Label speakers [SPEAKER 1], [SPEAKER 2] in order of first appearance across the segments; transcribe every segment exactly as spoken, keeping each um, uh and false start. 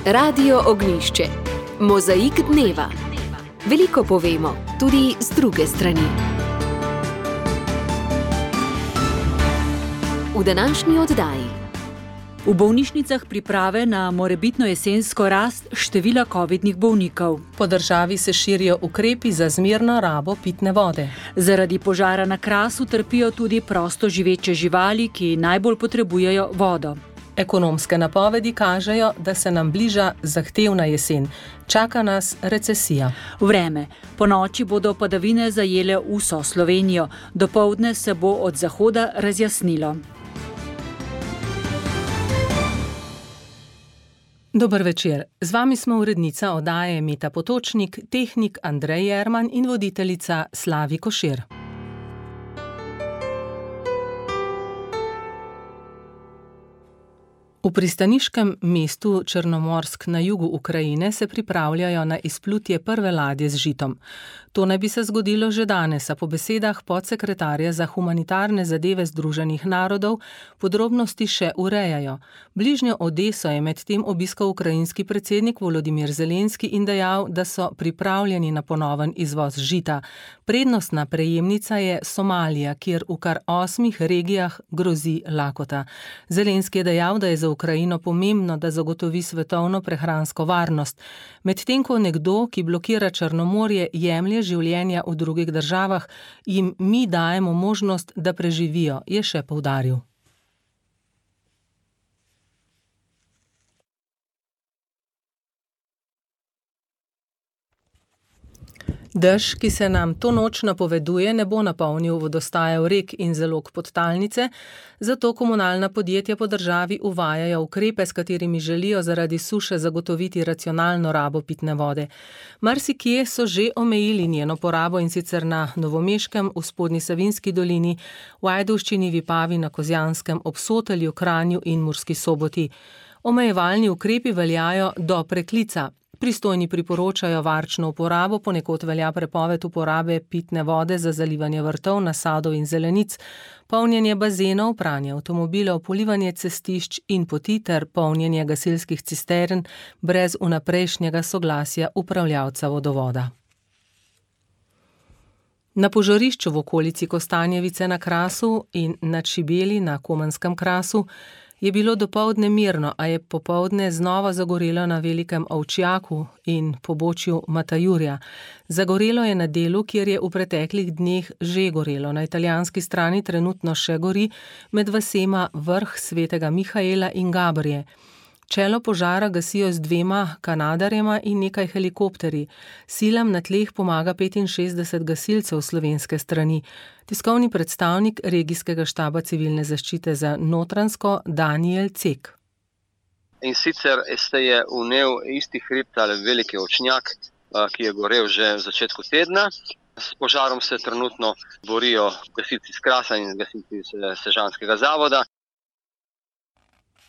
[SPEAKER 1] Radio Ognjišče. Mozaik dneva. Veliko povemo, tudi z druge strani. V današnji oddaji.
[SPEAKER 2] V bolnišnicah priprave na morebitno jesensko rast števila covidnih bolnikov.
[SPEAKER 3] Po državi se širijo ukrepi za zmerno rabo pitne vode.
[SPEAKER 2] Zaradi požara na Krasu trpijo tudi prosto živeče živali, ki najbolj potrebujejo vodo.
[SPEAKER 3] Ekonomske napovedi kažejo, da se nam bliža zahtevna jesen. Čaka nas recesija.
[SPEAKER 2] Vreme. Po noči bodo padavine zajele vso Slovenijo. Dopoldne se bo od zahoda razjasnilo.
[SPEAKER 3] Dober večer. Z vami smo urednica oddaje Meta Potočnik, tehnik Andrej Jerman in voditeljica Slavi Košir. V pristaniškem mestu Črnomorsk na jugu Ukrajine se pripravljajo na izplutje prve ladje z žitom. To naj bi se zgodilo že danes, a po besedah podsekretarja za humanitarne zadeve Združenih narodov podrobnosti še urejajo. Bližnjo Odeso je medtem obiskal ukrajinski predsednik Volodimir Zelenski in dejal, da so pripravljeni na ponoven izvoz žita. Prednostna prejemnica je Somalija, kjer v kar osmih regijah grozi lakota. Zelenski je dejal, da je za Ukrajino pomembno, da zagotovi svetovno prehransko varnost, medtem ko nekdo, ki blokira Črnomorje, jemlje življenja v drugih državah, jim mi dajemo možnost, da preživijo, je še poudaril. Dež, ki se nam to noč napoveduje, ne bo napolnil vodostajev rek in zalog podtalnice, zato komunalna podjetja po državi uvajajo ukrepe, s katerimi želijo zaradi suše zagotoviti racionalno rabo pitne vode. Marsikje so že omejili njeno porabo, in sicer na Novomeškem, v Spodnji Savinjski dolini, v Ajdovščini, Vipavi, na Kozjanskem, ob Sotelju, Kranju in Murski Soboti. Omejevalni ukrepi veljajo do preklica. Pristojni priporočajo varčno uporabo, ponekod velja prepoved uporabe pitne vode za zalivanje vrtov, nasadov in zelenic, polnjenje bazenov, pranje avtomobilov, polivanje cestišč in poti ter polnjenje gasilskih cistern brez vnaprejšnjega soglasja upravljavca vodovoda. Na požarišču v okolici Kostanjevice na Krasu in na Čibeli na Komanskem Krasu je bilo dopoldne mirno, a je popoldne znova zagorelo na Velikem Ovčjaku in pobočju Matajurja. Zagorelo je na delu, kjer je v preteklih dneh že gorelo. Na italijanski strani trenutno še gori, med vasema Vrh Svetega Mihaela in Gabrije. Čelo požara gasijo z dvema kanadarjema in nekaj helikopterji. Silam na tleh pomaga petinšestdeset gasilcev slovenske strani. Tiskovni predstavnik regijskega štaba civilne zaščite za Notranjsko Danijel Cek.
[SPEAKER 4] In sicer se je vnel isti hribt ali Veliki Ovčnjak, ki je gorel že v začetku tedna. S požarom se trenutno borijo gasilci iz Krasa in gasilci iz Sežanskega zavoda.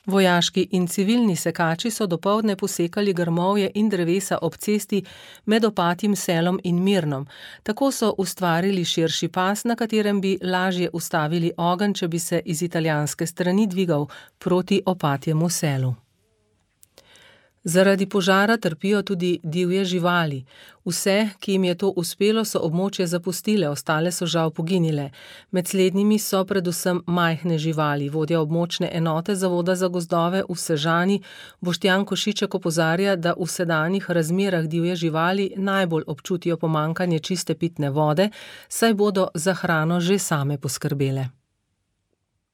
[SPEAKER 3] Vojaški in civilni sekači so dopoldne posekali grmovje in drevesa ob cesti med Opatjim selom in Mirnom. Tako so ustvarili širši pas, na katerem bi lažje ustavili ogenj, če bi se iz italijanske strani dvigal proti Opatjemu selu. Zaradi požara trpijo tudi divje živali. Vse, ki jim je to uspelo, so območje zapustile, ostale so žal poginile. Med slednjimi so predvsem majhne živali. Vodja območne enote Zavoda za gozdove v Sežani Boštjan Košiček opozarja, da v sedanjih razmerah divje živali najbolj občutijo pomanjkanje čiste pitne vode, saj bodo za hrano že same poskrbele.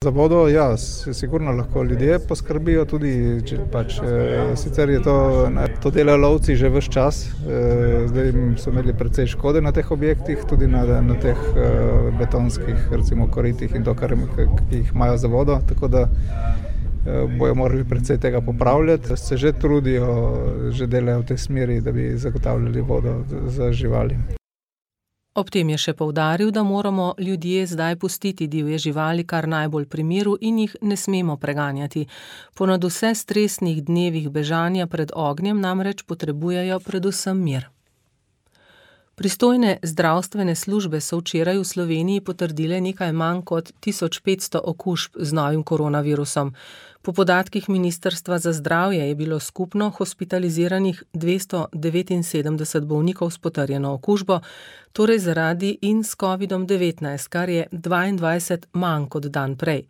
[SPEAKER 5] Za vodo, ja, sigurno lahko ljudje poskrbijo tudi, če pač, e, sicer je to, ne, to delajo lovci že ves čas, e, zdaj so imeli precej škode na teh objektih, tudi na, na teh e, betonskih, recimo koritih in to, kar jih imajo za vodo, tako da e, bojo morali precej tega popravljati. Se že trudijo, že delajo v tej smeri, da bi zagotavljali vodo za živali.
[SPEAKER 3] Ob tem je še poudaril, da moramo ljudje zdaj pustiti divje živali kar najbolj pri miru in jih ne smemo preganjati. Po nadvse stresnih dnevih bežanja pred ognjem namreč potrebujejo predvsem mir. Pristojne zdravstvene službe so včeraj v Sloveniji potrdile nekaj manj kot tisoč petsto okužb z novim koronavirusom. Po podatkih Ministrstva za zdravje je bilo skupno hospitaliziranih dvesto devetinsedemdeset bolnikov s potrjeno okužbo, torej zaradi in s kovidom devetnajst, kar je dvaindvajset manj kot dan prej.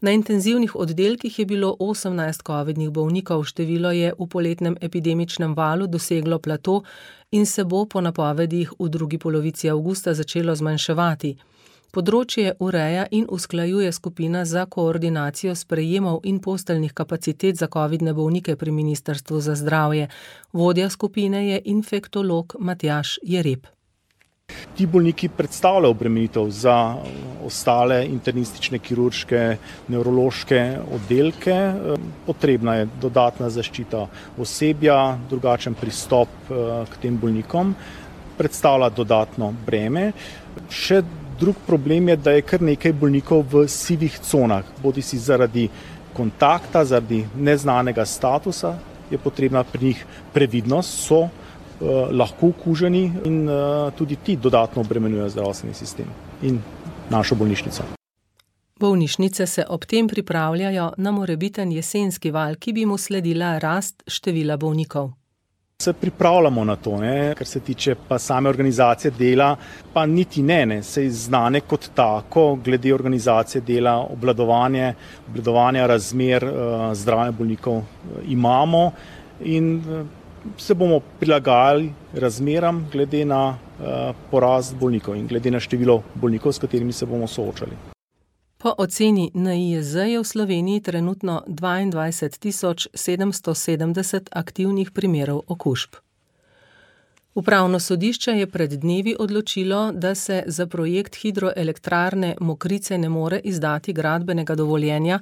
[SPEAKER 3] Na intenzivnih oddelkih je bilo osemnajst covidnih bolnikov, število je v poletnem epidemičnem valu doseglo plato in se bo po napovedih v drugi polovici avgusta začelo zmanjševati. Področje ureja in usklajuje skupina za koordinacijo sprejemov in posteljnih kapacitet za covidne bolnike pri Ministrstvu za zdravje. Vodja skupine je infektolog Matjaž Jereb.
[SPEAKER 6] Ti bolniki predstavljajo obremenitev za ostale internistične, kirurške, nevrološke oddelke. Potrebna je dodatna zaščita osebja, drugačen pristop k tem bolnikom, predstavlja dodatno breme. Še drug problem je, da je kar nekaj bolnikov v sivih conah, bodi si zaradi kontakta, zaradi neznanega statusa, je potrebna pri njih previdnost, so lahko okuženi in tudi ti dodatno obremenjujejo zdravstveni sistem in našo bolnišnico.
[SPEAKER 3] Bolnišnice se ob tem pripravljajo na morebiten jesenski val, ki bi mu sledila rast števila bolnikov.
[SPEAKER 6] Se pripravljamo na to, ne? Kar se tiče pa same organizacije dela, pa niti ne, ne, sej znane kot tako, glede organizacije dela, obvladovanje, obvladovanja razmer uh, zdravja bolnikov uh, imamo in uh, se bomo prilagajali razmeram glede na uh, porast bolnikov in glede na število bolnikov, s katerimi se bomo soočali.
[SPEAKER 3] Po oceni N I J Z je v Sloveniji trenutno dvaindvajset tisoč sedemsto sedemdeset aktivnih primerov okužb. Upravno sodišče je pred dnevi odločilo, da se za projekt hidroelektrarne Mokrice ne more izdati gradbenega dovoljenja,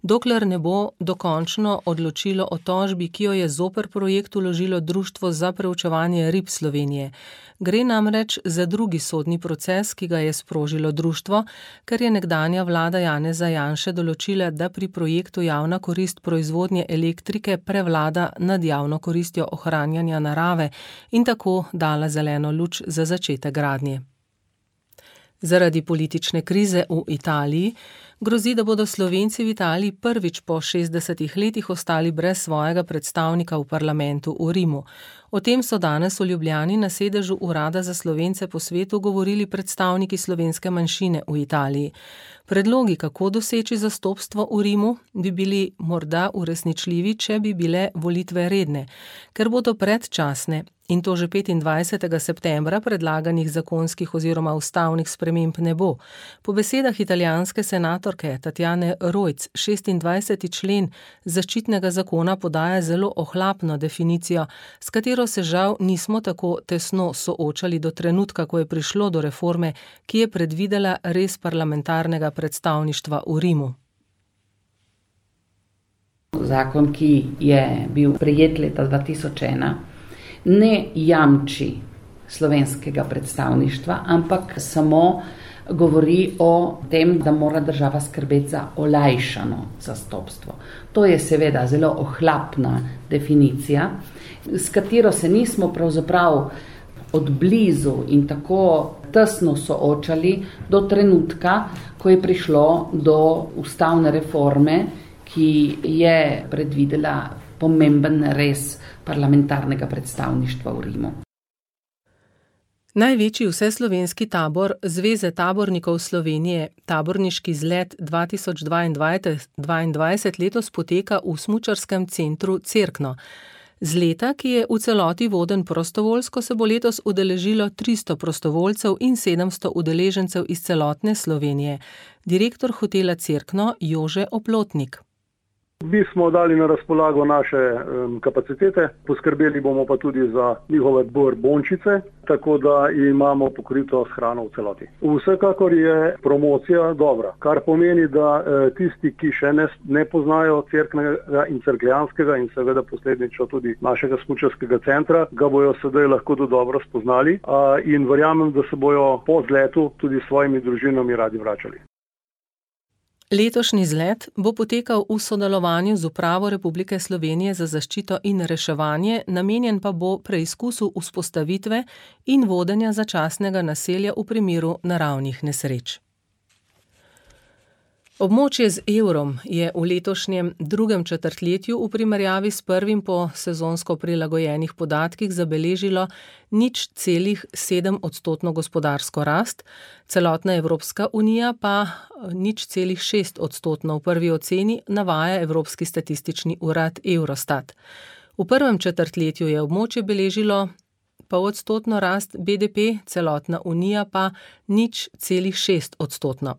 [SPEAKER 3] dokler ne bo dokončno odločilo o tožbi, ki jo je zoper projekt vložilo Društvo za preučevanje rib Slovenije. Gre namreč za drugi sodni proces, ki ga je sprožilo društvo, ker je nekdanja vlada Janeza Janše določila, da pri projektu javna korist proizvodnje elektrike prevlada nad javno koristjo ohranjanja narave in tako dala zeleno luč za začetek gradnje. Zaradi politične krize v Italiji grozi, da bodo Slovenci v Italiji prvič po šestdesetih letih ostali brez svojega predstavnika v parlamentu v Rimu. O tem so danes v Ljubljani na sedežu Urada za Slovence po svetu govorili predstavniki slovenske manjšine v Italiji. Predlogi, kako doseči zastopstvo v Rimu, bi bili morda uresničljivi, če bi bile volitve redne, ker bodo predčasne in to že petindvajsetega septembra predlaganih zakonskih oziroma ustavnih sprememb ne bo. Po besedah italijanske senatorke Tatjane Rojc, šestindvajseti člen zaščitnega zakona podaja zelo ohlapno definicijo, s katero se žal nismo tako tesno soočali do trenutka, ko je prišlo do reforme, ki je predvidela res parlamentarnega predstavništva v Rimu.
[SPEAKER 7] Zakon, ki je bil prejet leta dva tisoč ena, ne jamči slovenskega predstavništva, ampak samo govori o tem, da mora država skrbeti za olajšano zastopstvo. To je seveda zelo ohlapna definicija, s katero se nismo pravzaprav od blizu in tako tesno soočali do trenutka, ko je prišlo do ustavne reforme, ki je predvidela pomemben res parlamentarnega predstavništva v Rimu.
[SPEAKER 3] Največji vseslovenski tabor Zveze tabornikov Slovenije, taborniški izlet dva tisoč dvaindvajset letos poteka v smučarskem centru Cerkno. Z leta, ki je v celoti voden prostovoljsko, se bo letos udeležilo tristo prostovoljcev in sedemsto udeležencev iz celotne Slovenije. Direktor hotela Cerkno Jože Oplotnik.
[SPEAKER 8] Mi smo dali na razpolago naše um, kapacitete, poskrbeli bomo pa tudi za njihove borbončice, tako da imamo pokrito s hrano v celoti. Vsekakor je promocija dobra, kar pomeni, da eh, tisti, ki še ne, ne poznajo Cerknega in Cerkljanskega in seveda posledično tudi našega smučarskega centra, ga bojo sedaj lahko do dobro spoznali a, in verjamem, da se bojo po zletu tudi s svojimi družinami radi vračali.
[SPEAKER 3] Letošnji izlet bo potekal v sodelovanju z Upravo Republike Slovenije za zaščito in reševanje, namenjen pa bo preizkusu vzpostavitve in vodenja začasnega naselja v primeru naravnih nesreč. Območje z evrom je v letošnjem drugem četrtletju v primerjavi s prvim po sezonsko prilagojenih podatkih zabeležilo nič celih sedem odstotno gospodarsko rast, celotna Evropska unija pa nič celih šest odstotno v prvi oceni navaja Evropski statistični urad Eurostat. V prvem četrtletju je območje beležilo polodstotno rast B D P, celotna unija pa nič celih šest odstotno.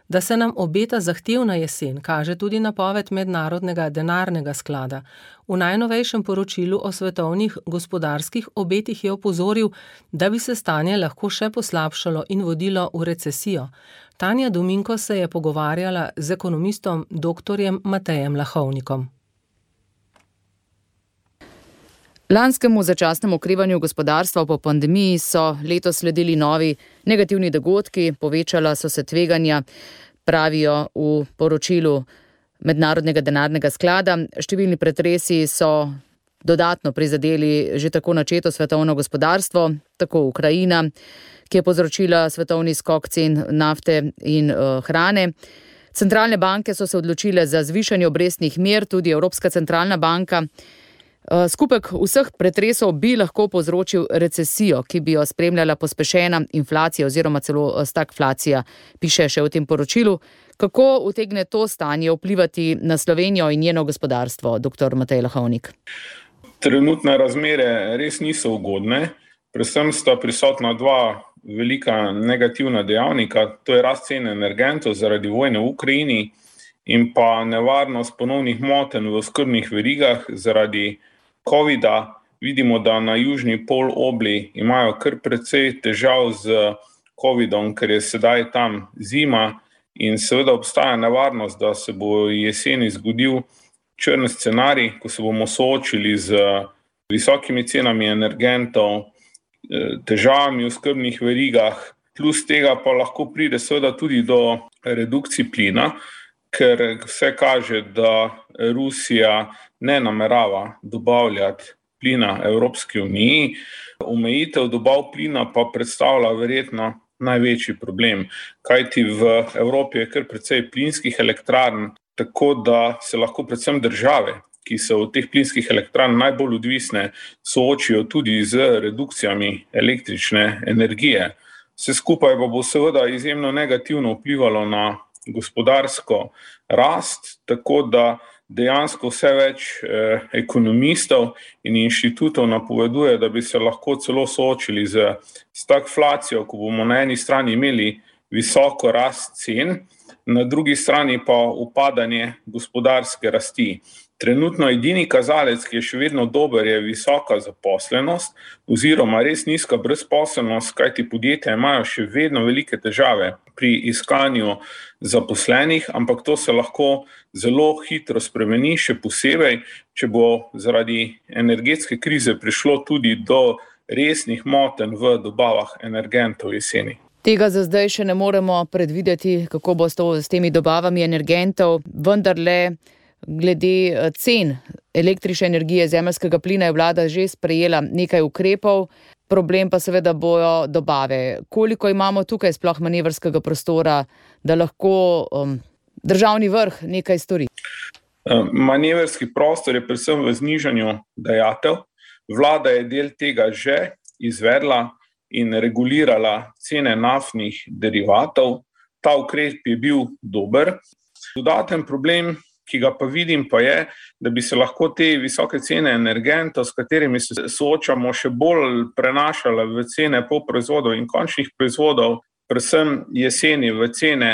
[SPEAKER 3] Da se nam obeta zahtevna jesen, kaže tudi napoved Mednarodnega denarnega sklada. V najnovejšem poročilu o svetovnih gospodarskih obetih je opozoril, da bi se stanje lahko še poslabšalo in vodilo v recesijo. Tanja Dominko se je pogovarjala z ekonomistom doktorjem Matejem Lahovnikom.
[SPEAKER 9] Lanskemu začasnemu okrevanju gospodarstva po pandemiji so letos sledili novi negativni dogodki, povečala so se tveganja, pravijo v poročilu Mednarodnega denarnega sklada. Številni pretresi so dodatno prizadeli že tako načeto svetovno gospodarstvo, tako Ukrajina, ki je povzročila svetovni skok cen nafte in uh, hrane. Centralne banke so se odločile za zvišanje obrestnih mer, tudi Evropska centralna banka. Skupek vseh pretresov bi lahko povzročil recesijo, ki bi jo spremljala pospešena inflacija oziroma celo stagflacija, piše še v tem poročilu. Kako utegne to stanje vplivati na Slovenijo in njeno gospodarstvo, doktor Matej Lahovnik?
[SPEAKER 10] Trenutne razmere res niso ugodne, predvsem sta prisotna dva velika negativna dejavnika, to je rast cen energentov zaradi vojne v Ukrajini in pa nevarnost ponovnih motenj v oskrbnih verigah zaradi covida. Vidimo, da na južni polobli imajo kar precej težav z covidom, ker je sedaj tam zima in seveda obstaja nevarnost, da se bo jeseni zgodil črn scenarij, ko se bomo soočili z visokimi cenami energentov, težavami v oskrbnih verigah, plus tega pa lahko pride seveda tudi do redukcij plina, ker vse kaže, da Rusija ne namerava dobavljati plina Evropski uniji. Omejitev dobav plina pa predstavlja verjetno največji problem, kajti v Evropi je kar precej plinskih elektrarn, tako da se lahko predvsem države, ki so od teh plinskih elektrarn najbolj odvisne, soočijo tudi z redukcijami električne energije. Vse skupaj pa bo seveda izjemno negativno vplivalo na gospodarsko rast, tako da dejansko vse več eh, ekonomistov in inštitutov napoveduje, da bi se lahko celo soočili z stagflacijo, ko bomo na eni strani imeli visoko rast cen, na drugi strani pa upadanje gospodarske rasti. Trenutno edini kazalec, ki je še vedno dober, je visoka zaposlenost oziroma res nizka brezposelnost, kajti podjetja imajo še vedno velike težave pri iskanju zaposlenih, ampak to se lahko zelo hitro spremeni, še posebej, če bo zaradi energetske krize prišlo tudi do resnih motenj v dobavah energentov jeseni.
[SPEAKER 9] Tega za zdaj še ne moremo predvideti, kako bo s, to, s temi dobavami energentov, vendar le glede cen električne energije, zemeljskega plina je vlada že sprejela nekaj ukrepov, problem pa seveda bojo dobave. Koliko imamo tukaj sploh manevrskega prostora, da lahko um, državni vrh nekaj stori?
[SPEAKER 10] Manevrski prostor je predvsem v znižanju dajatev. Vlada je del tega že izvedla in regulirala cene naftnih derivatov. Ta ukrep je bil dober. Dodaten problem, ki ga pa vidim, pa je, da bi se lahko te visoke cene energentov, s katerimi se soočamo, še bolj prenašale v cene polproizvodov in končnih proizvodov, predvsem jeseni v cene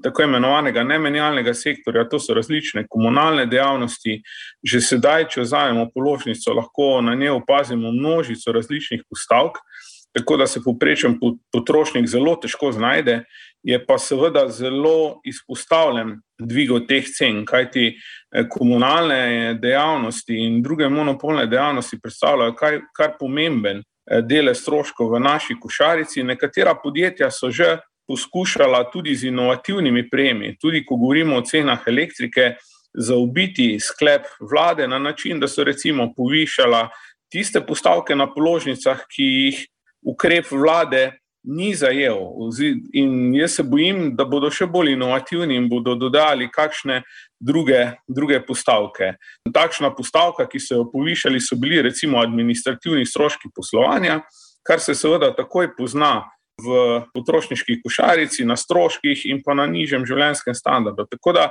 [SPEAKER 10] tako imenovanega nemenjalnega sektorja, to so različne komunalne dejavnosti. Že sedaj, če vzamemo položnico, lahko na njej opazimo množico različnih postavk, tako da se povprečen potrošnik zelo težko znajde, je pa seveda zelo izpostavljen dvigu teh cen, kajti komunalne dejavnosti in druge monopolne dejavnosti predstavljajo kar, kar pomemben delež stroškov v naši košarici. Nekatera podjetja so že poskušala tudi z inovativnimi prijemi, tudi ko govorimo o cenah elektrike, zaobiti sklep vlade na način, da so recimo povišala tiste postavke na položnicah, ki jih ukrep vlade ni zajel. In jaz se bojim, da bodo še bolj inovativni in bodo dodali kakšne druge, druge postavke. Takšna postavka, ki so jo povišali, so bili recimo administrativni stroški poslovanja, kar se seveda takoj pozna v potrošniški košarici, na stroških in pa na nižjem življenjskem standardu. Tako da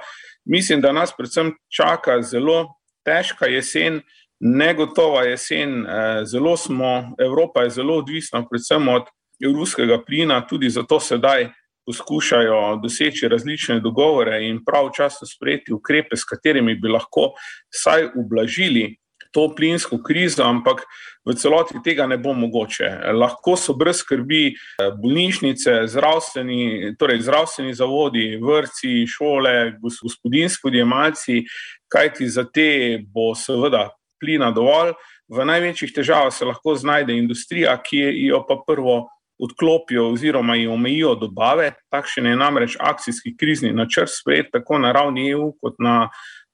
[SPEAKER 10] mislim, da nas predvsem čaka zelo težka jesen, negotova jesen, zelo smo, Evropa je zelo odvisna predvsem od ruskega plina, tudi zato sedaj poskušajo doseči različne dogovore in pravčasno sprejeti ukrepe, s katerimi bi lahko vsaj ublažili to plinsko krizo, ampak v celoti tega ne bo mogoče. Lahko so brez skrbi bolnišnice, zdravstveni, torej zdravstveni zavodi, vrtci, šole, gospodinjski odjemalci, kajti za te bo seveda plina dovolj. V največjih težavah se lahko znajde industrija, ki jo pa prvo odklopijo oziroma jo omejijo dobave. Takšen je namreč akcijski krizni načrt sprejet tako na ravni E U kot na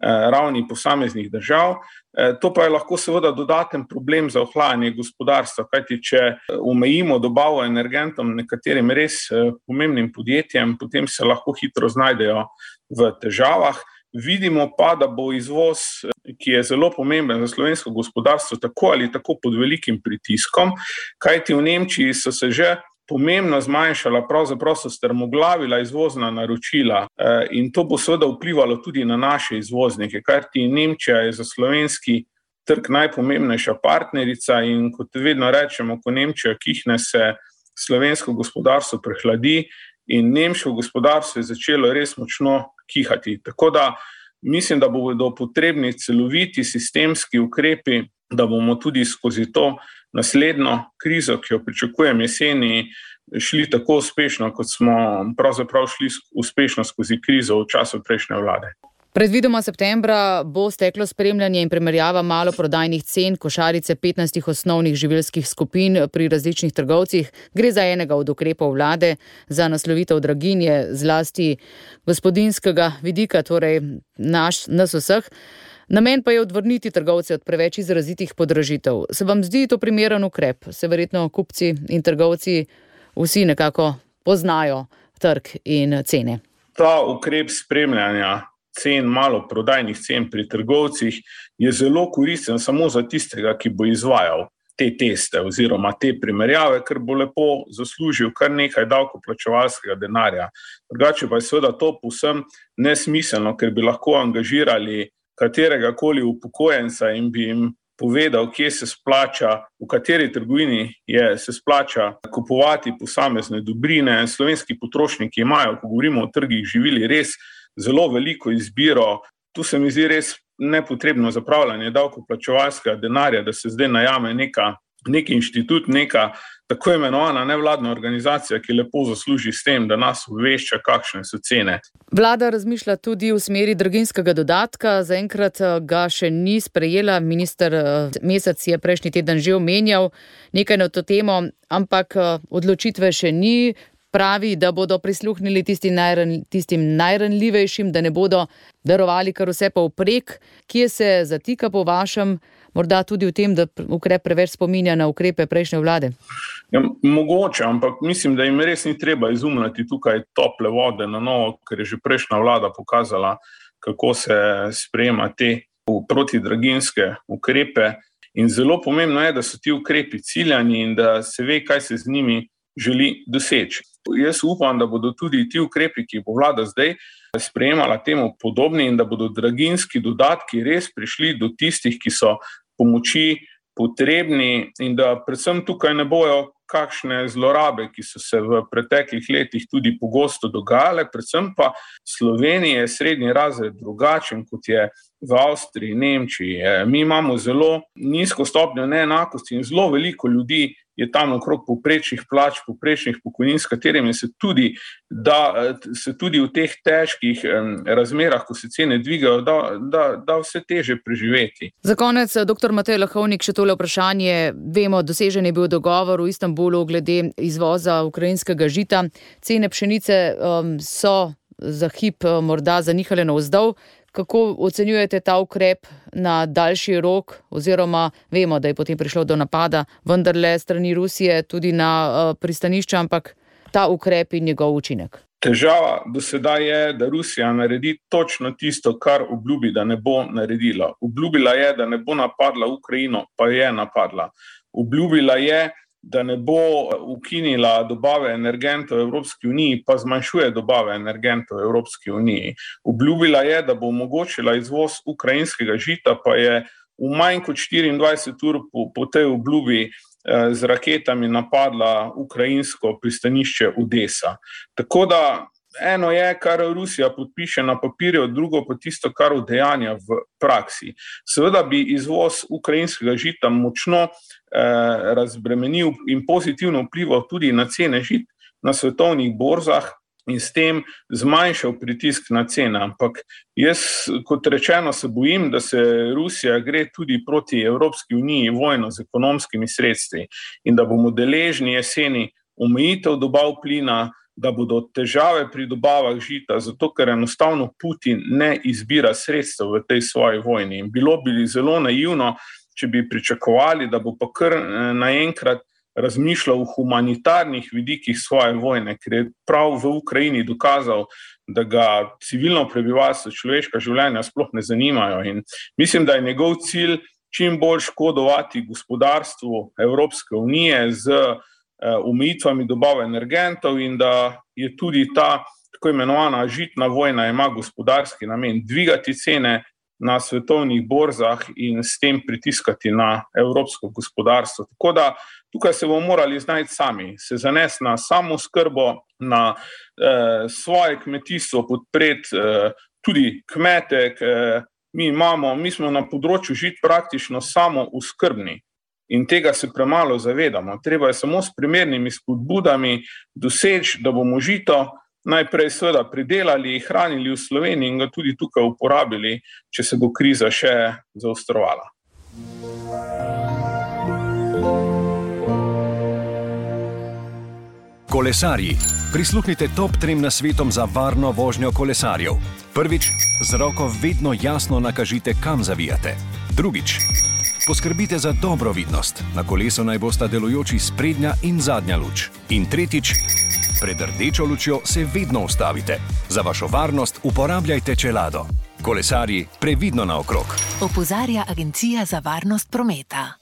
[SPEAKER 10] ravni posameznih držav. To pa je lahko seveda dodaten problem za ohlajanje gospodarstva, kajti če omejimo dobavo energentom nekaterim res pomembnim podjetjem, potem se lahko hitro znajdejo v težavah. Vidimo pa, da bo izvoz, ki je zelo pomemben za slovensko gospodarstvo, tako ali tako pod velikim pritiskom, kajti v Nemčiji so se že pomembno zmanjšala, pravzaprav so strmoglavila izvozna naročila in to bo seveda vplivalo tudi na naše izvoznike, kajti Nemčija je za slovenski trg najpomembnejša partnerica in kot vedno rečemo, ko Nemčija kihne, se slovensko gospodarstvo prehladi in nemško gospodarstvo je začelo res močno kihati. Tako da mislim, da bodo potrebni celoviti sistemski ukrepi, da bomo tudi skozi to naslednjo krizo, ki jo pričakujem jeseni, šli tako uspešno, kot smo pravzaprav šli uspešno skozi krizo v času prejšnje vlade.
[SPEAKER 9] Predvidoma septembra bo steklo spremljanje in primerjava maloprodajnih cen košarice petnajstih osnovnih živilskih skupin pri različnih trgovcih. Gre za enega od ukrepov vlade za naslovitev draginje, zlasti gospodinjskega vidika, torej naš, nas vseh. Namen pa je odvrniti trgovce od preveč izrazitih podražitev. Se vam zdi to primeren ukrep? Se verjetno kupci in trgovci vsi nekako poznajo trg in cene.
[SPEAKER 10] Ta ukrep spremljanja cen, maloprodajnih cen pri trgovcih je zelo koristen samo za tistega, ki bo izvajal te teste oziroma te primerjave, ker bo lepo zaslužil kar nekaj davkoplačevalskega denarja. Drugače pa je seveda to povsem nesmiselno, ker bi lahko angažirali katerega koli upokojenca in bi jim povedal, kje se splača, v kateri trgovini je, se splača kupovati posamezne dobrine. Slovenski potrošniki imajo, ko govorimo o trgih živili, res zelo veliko izbiro. Tu se mi zdi res nepotrebno zapravljanje davkoplačevalskega denarja, da se zdaj najame neka, neki inštitut, neka tako imenovana nevladna organizacija, ki lepo zasluži s tem, da nas obvešča, kakšne so cene.
[SPEAKER 9] Vlada razmišlja tudi v smeri draginjskega dodatka. Zaenkrat ga še ni sprejela. Minister Mesec je prejšnji teden že omenjal nekaj na to temo, ampak odločitve še ni. Pravi, da bodo prisluhnili tistim, najran, tistim najranljivejšim, da ne bodo darovali kar vse povprek. Kje se zatika po vašem, morda tudi v tem, da ukrep preveč spominja na ukrepe prejšnje vlade?
[SPEAKER 10] Ja, mogoče, ampak mislim, da jim res ni treba izumljati tukaj tople vode na novo, ker je že prejšnja vlada pokazala, kako se sprejema te protidraginjske ukrepe. In zelo pomembno je, da so ti ukrepi ciljani in da se ve, kaj se z njimi želi doseči. Jaz upam, da bodo tudi ti ukrepi, ki bo vlada zdaj sprejemala temu podobni in da bodo draginjski dodatki res prišli do tistih, ki so pomoči potrebni in da predvsem tukaj ne bojo kakšne zlorabe, ki so se v preteklih letih tudi pogosto dogajale, predvsem pa Slovenija je srednji razred drugačen, kot je v Avstriji, Nemčiji. Mi imamo zelo nizko stopnjo neenakosti in zelo veliko ljudi je tam okrog povprečnih plač, povprečnih pokojnin, s katerimi se tudi, da, se tudi v teh težkih razmerah, ko se cene dvigajo, da, da, da vse teže preživeti.
[SPEAKER 9] Za konec, doktor Matej Lahovnik, še tole vprašanje. Vemo, dosežen je bil dogovor v Istanbulu glede izvoza ukrajinskega žita. Cene pšenice um, so za hip morda zanihale navzdol. Kako ocenjujete ta ukrep na daljši rok, oziroma vemo, da je potem prišlo do napada, vendarle strani Rusije tudi na uh, pristanišča, ampak ta ukrep in njegov učinek?
[SPEAKER 10] Težava do sedaj je, da Rusija naredi točno tisto, kar obljubi, da ne bo naredila. Obljubila je, da ne bo napadla Ukrajino, pa je napadla. Obljubila je, da ne bo ukinila dobave energentov Evropski uniji, pa zmanjšuje dobave energentov Evropski uniji. Obljubila je, da bo omogočila izvoz ukrajinskega žita, pa je v manj kot štiriindvajset ur po, po tej obljubi eh, z raketami napadla ukrajinsko pristanišče Odesa. Tako da eno je, kar Rusija podpiše na papirju, drugo pa tisto, kar udejanja v praksi. Seveda bi izvoz ukrajinskega žita močno eh, razbremenil in pozitivno vplival tudi na cene žit na svetovnih borzah in s tem zmanjšal pritisk na cene. Ampak jaz, kot rečeno, se bojim, da se Rusija gre tudi proti Evropski uniji vojno z ekonomskimi sredstvi in da bomo deležni jeseni omejitev dobav plina, da bodo težave pri dobavah žita, zato ker enostavno Putin ne izbira sredstev v tej svoji vojni. In bilo bi zelo naivno, če bi pričakovali, da bo pa kar naenkrat razmišljal o humanitarnih vidikih svoje vojne, ker je prav v Ukrajini dokazal, da ga civilno prebivalstvo, človeška življenja sploh ne zanimajo. In mislim, da je njegov cilj čim bolj škodovati gospodarstvu Evropske unije z omejitvami dobave energentov in da je tudi ta tako imenovana žitna vojna ima gospodarski namen dvigati cene na svetovnih borzah in s tem pritiskati na evropsko gospodarstvo. Tako da tukaj se bomo morali znajti sami, se zanesti na samooskrbo, na eh, svoje kmetijstvo, podpreti eh, tudi kmete. Eh, mi, imamo, mi smo na področju žit praktično samooskrbni. In tega se premalo zavedamo. Treba je samo s primernimi spodbudami doseči, da bomo žito najprej seveda pridelali, hranili v Sloveniji in ga tudi tukaj uporabili, če se bo kriza še zaostrovala.
[SPEAKER 11] Kolesarji. Prisluhnite top trem nasvetom za varno vožnjo kolesarjev. Prvič, z roko vedno jasno nakažite, kam zavijate. Drugič, poskrbite za dobro vidnost. Na kolesu naj bosta delujoči sprednja in zadnja luč. In tretjič, pred rdečo lučjo se vedno ustavite. Za vašo varnost uporabljajte čelado. Kolesarji, previdno naokrog.
[SPEAKER 12] Opozarja Agencija za varnost prometa.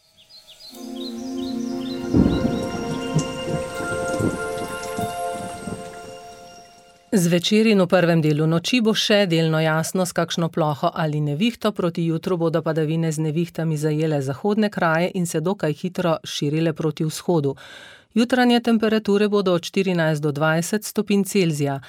[SPEAKER 3] Zvečer in v prvem delu noči bo še delno jasno, s kakšno ploho ali nevihto. Proti jutru bodo padavine z nevihtami zajele zahodne kraje in se dokaj hitro širile proti vzhodu. Jutranje temperature bodo od štirinajst do dvajset stopinj Celzija.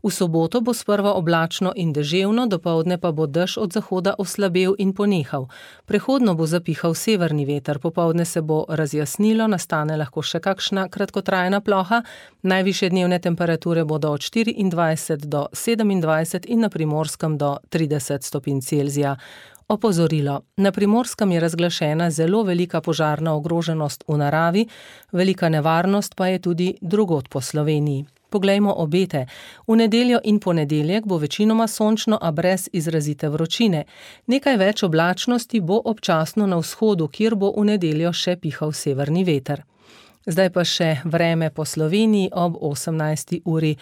[SPEAKER 3] V soboto bo sprva oblačno in deževno, dopoldne pa bo dež od zahoda oslabel in ponehal. Prehodno bo zapihal severni veter, popoldne se bo razjasnilo, nastane lahko še kakšna kratkotrajna ploha. Najvišje dnevne temperature bodo od štiriindvajset do sedemindvajset in na Primorskem do trideset stopinj Celzija. Opozorilo. Na Primorskem je razglašena zelo velika požarna ogroženost v naravi, velika nevarnost pa je tudi drugod po Sloveniji. Poglejmo obete. V nedeljo in ponedeljek bo večinoma sončno, a brez izrazite vročine. Nekaj več oblačnosti bo občasno na vzhodu, kjer bo v nedeljo še pihal severni veter. Zdaj pa še vreme po Sloveniji ob osemnajsti uri.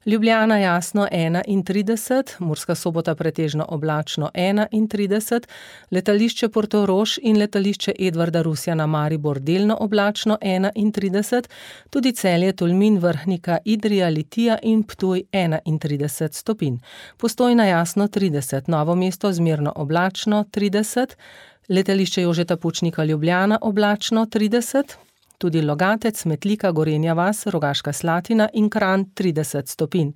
[SPEAKER 3] Ljubljana jasno enaintrideset, Murska Sobota pretežno oblačno enaintrideset, letališče Portorož in letališče Edvarda Rusjana Maribor delno oblačno enaintrideset, tudi Celje, Tolmin, Vrhnika, Idrija, Litija in Ptuj enaintrideset stopinj. Postojna jasno trideset, Novo mesto zmerno oblačno trideset, letališče Jožeta Pučnika Ljubljana oblačno trideset, tudi Logatec, Metlika, Gorenja vas, Rogaška Slatina in Kranj trideset stopinj.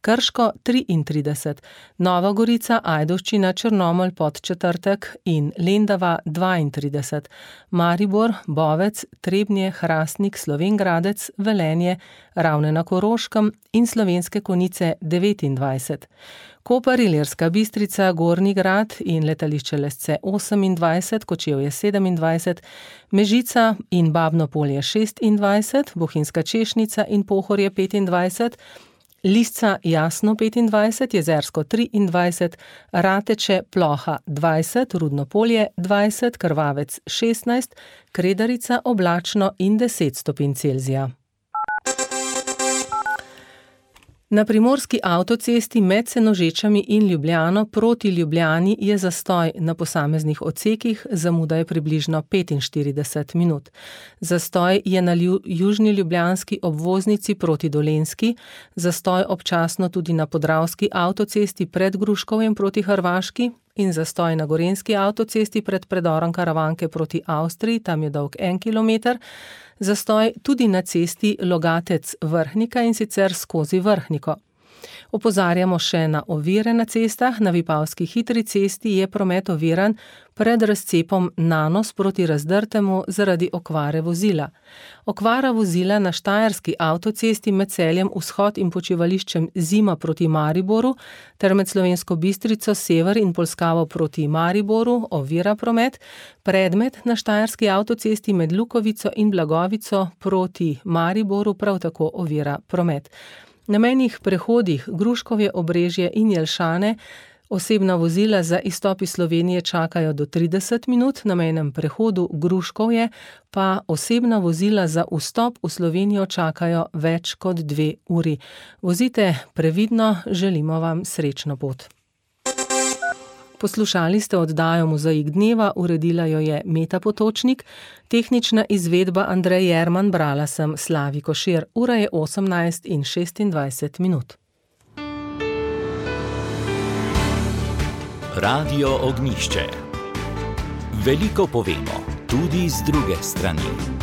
[SPEAKER 3] Krško triintrideset, Nova Gorica, Ajdovščina, Črnomelj, Podčetrtek in Lendava dvaintrideset, Maribor, Bovec, Trebnje, Hrastnik, Slovenj Gradec, Velenje, Ravne na Koroškem in Slovenske Konjice devetindvajset. Koper, Ilirska Bistrica, Gornji Grad in letališče Lesce osemindvajset, Kočevje sedemindvajset, Mežica in Babno Polje šestindvajset, Bohinjska Češnica in Pohorje petindvajset, Lisca Jasno petindvajset, Jezersko triindvajset, Rateče, Ploha dvajset, Rudno Polje dvajset, Krvavec šestnajst, Kredarica oblačno in deset stopinj Celzija. Na primorski avtocesti med Senožečami in Ljubljano proti Ljubljani je zastoj na posameznih odsekih, zamuda je približno petinštirideset minut. Zastoj je na južni ljubljanski obvoznici proti Dolenjski, zastoj občasno tudi na podravski avtocesti pred Gruškovjem proti Hrvaški in zastoj na gorenjski avtocesti pred predorom Karavanke proti Avstriji, tam je dolg en kilometer, zastoj tudi na cesti Logatec-Vrhnika in sicer skozi Vrhniko. Opozarjamo še na ovire na cestah. Na Vipavski hitri cesti je promet oviran pred razcepom Nanos proti Razdrtemu zaradi okvare vozila. Okvara vozila na štajerski avtocesti med Celjem Vzhod in počivališčem Zima proti Mariboru ter med Slovensko Bistrico Sever in Polskavo proti Mariboru ovira promet. Predmet na štajerski avtocesti med Lukovico in Blagovico proti Mariboru prav tako ovira promet. Na mejnih prehodih Gruškovje, Obrežje in Jelšane osebna vozila za izstop iz Slovenije čakajo do trideset minut, na mejnem prehodu Gruškovje pa osebna vozila za vstop v Slovenijo čakajo več kot dve uri. Vozite previdno, želimo vam srečno pot. Poslušali ste oddajo Mozaik dneva, uredila jo je Meta Potočnik, tehnična izvedba Andrej Jerman, brala sem Slavi Košir. Ura je osemnajst in šestindvajset minut.
[SPEAKER 13] Radio Ognjišče. Veliko povemo, tudi z druge strani.